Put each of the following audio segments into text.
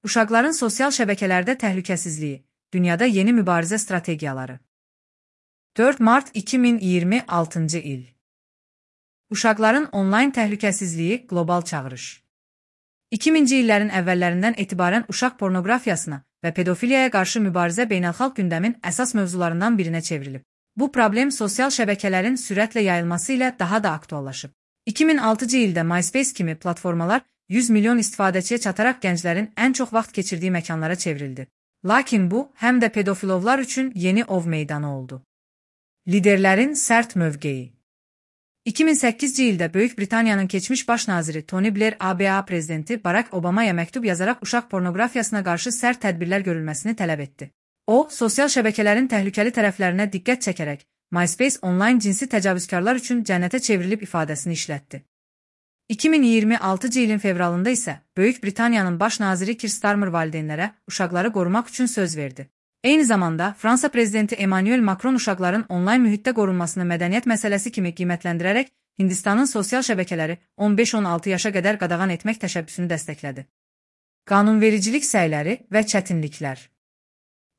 Uşaqların sosial şəbəkələrdə təhlükəsizliyi, dünyada yeni mübarizə strategiyaları. 4 mart 2026-cı il. Uşaqların onlayn təhlükəsizliyi qlobal çağırış. 2000-ci illərin əvvəllərindən etibarən uşaq pornoqrafiyasına və pedofiliyaya qarşı mübarizə beynəlxalq gündəmin əsas mövzularından birinə çevrilib. Bu problem sosial şəbəkələrin sürətlə yayılması ilə daha da aktuallaşıb. 2006-cı ildə MySpace kimi platformalar 100 milyon istifadəçiyə çataraq gənclərin ən çox vaxt keçirdiyi məkanlara çevrildi. Lakin bu, həm də pedofilovlar üçün yeni ov meydanı oldu. Liderlərin sərt mövqeyi. 2008-ci ildə Böyük Britaniyanın keçmiş baş naziri Tony Blair ABA prezidenti Barack Obamaya məktub yazaraq uşaq pornoqrafiyasına qarşı sərt tədbirlər görülməsini tələb etdi. O, sosial şəbəkələrin təhlükəli tərəflərinə diqqət çəkərək, MySpace onlayn cinsi təcavüzkarlar üçün cənnətə çevrilib ifadəsini işlətdi. 2026-cı ilin fevralında isə Böyük Britaniyanın baş naziri Keir Starmer valideynlərə uşaqları qorumaq üçün söz verdi. Eyni zamanda Fransa prezidenti Emmanuel Macron uşaqların onlayn mühitdə qorunmasını mədəniyyət məsələsi kimi qiymətləndirərək Hindistanın sosial şəbəkələri 15-16 yaşa qədər qadağan etmək təşəbbüsünü dəstəklədi. Qanunvericilik səyləri və çətinliklər.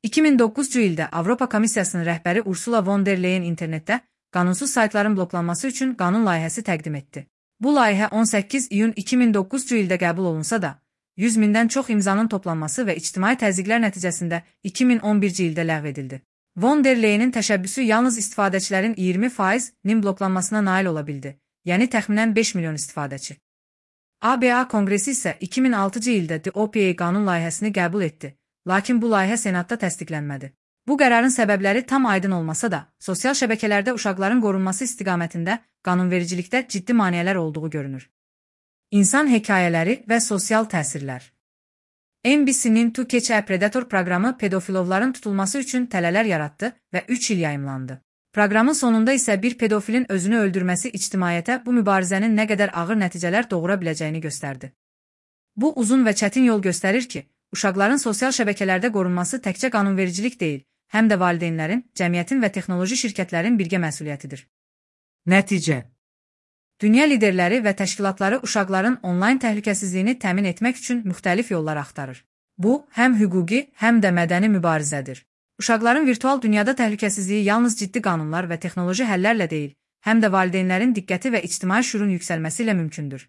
2009-cu ildə Avropa Komissiyasının rəhbəri Ursula von der Leyen internetdə qanunsuz saytların bloklanması üçün qanun layihəsi təqdim etdi. Bu layihə 18 iyun 2009-cu ildə qəbul olunsa da, 100 mindən çox imzanın toplanması və ictimai təzyiqlər nəticəsində 2011-ci ildə ləğv edildi. Von der Leyenin təşəbbüsü yalnız istifadəçilərin 20%-nin bloklanmasına nail ola bildi, yəni təxminən 5 milyon istifadəçi. ABA Konqresi isə 2006-cı ildə DOPA qanun layihəsini qəbul etdi, lakin bu layihə Senatda təsdiqlənmədi. Bu qərarın səbəbləri tam aydın olmasa da, sosial şəbəkələrdə uşaqların qorunması istiqamətində qanunvericilikdə ciddi maneələr olduğu görünür. İnsan hekayələri və sosial təsirlər. NBC-nin To Catch a Predator proqramı pedofilovların tutulması üçün tələlər yaratdı və 3 il yayımlandı. Proqramın sonunda isə bir pedofilin özünü öldürməsi ictimaiyyətə bu mübarizənin nə qədər ağır nəticələr doğura biləcəyini göstərdi. Bu uzun və çətin yol göstərir ki, uşaqların sosial şəbəkələrdə qorunması təkcə qanunvericilik deyil, həm də valideynlərin, cəmiyyətin və texnoloji şirkətlərin birgə məsuliyyətidir. Nəticə. Dünya liderləri və təşkilatları uşaqların onlayn təhlükəsizliyini təmin etmək üçün müxtəlif yollar axtarır. Bu, həm hüquqi, həm də mədəni mübarizədir. Uşaqların virtual dünyada təhlükəsizliyi yalnız ciddi qanunlar və texnoloji həllərlə deyil, həm də valideynlərin diqqəti və ictimai şüurun yüksəlməsi ilə mümkündür.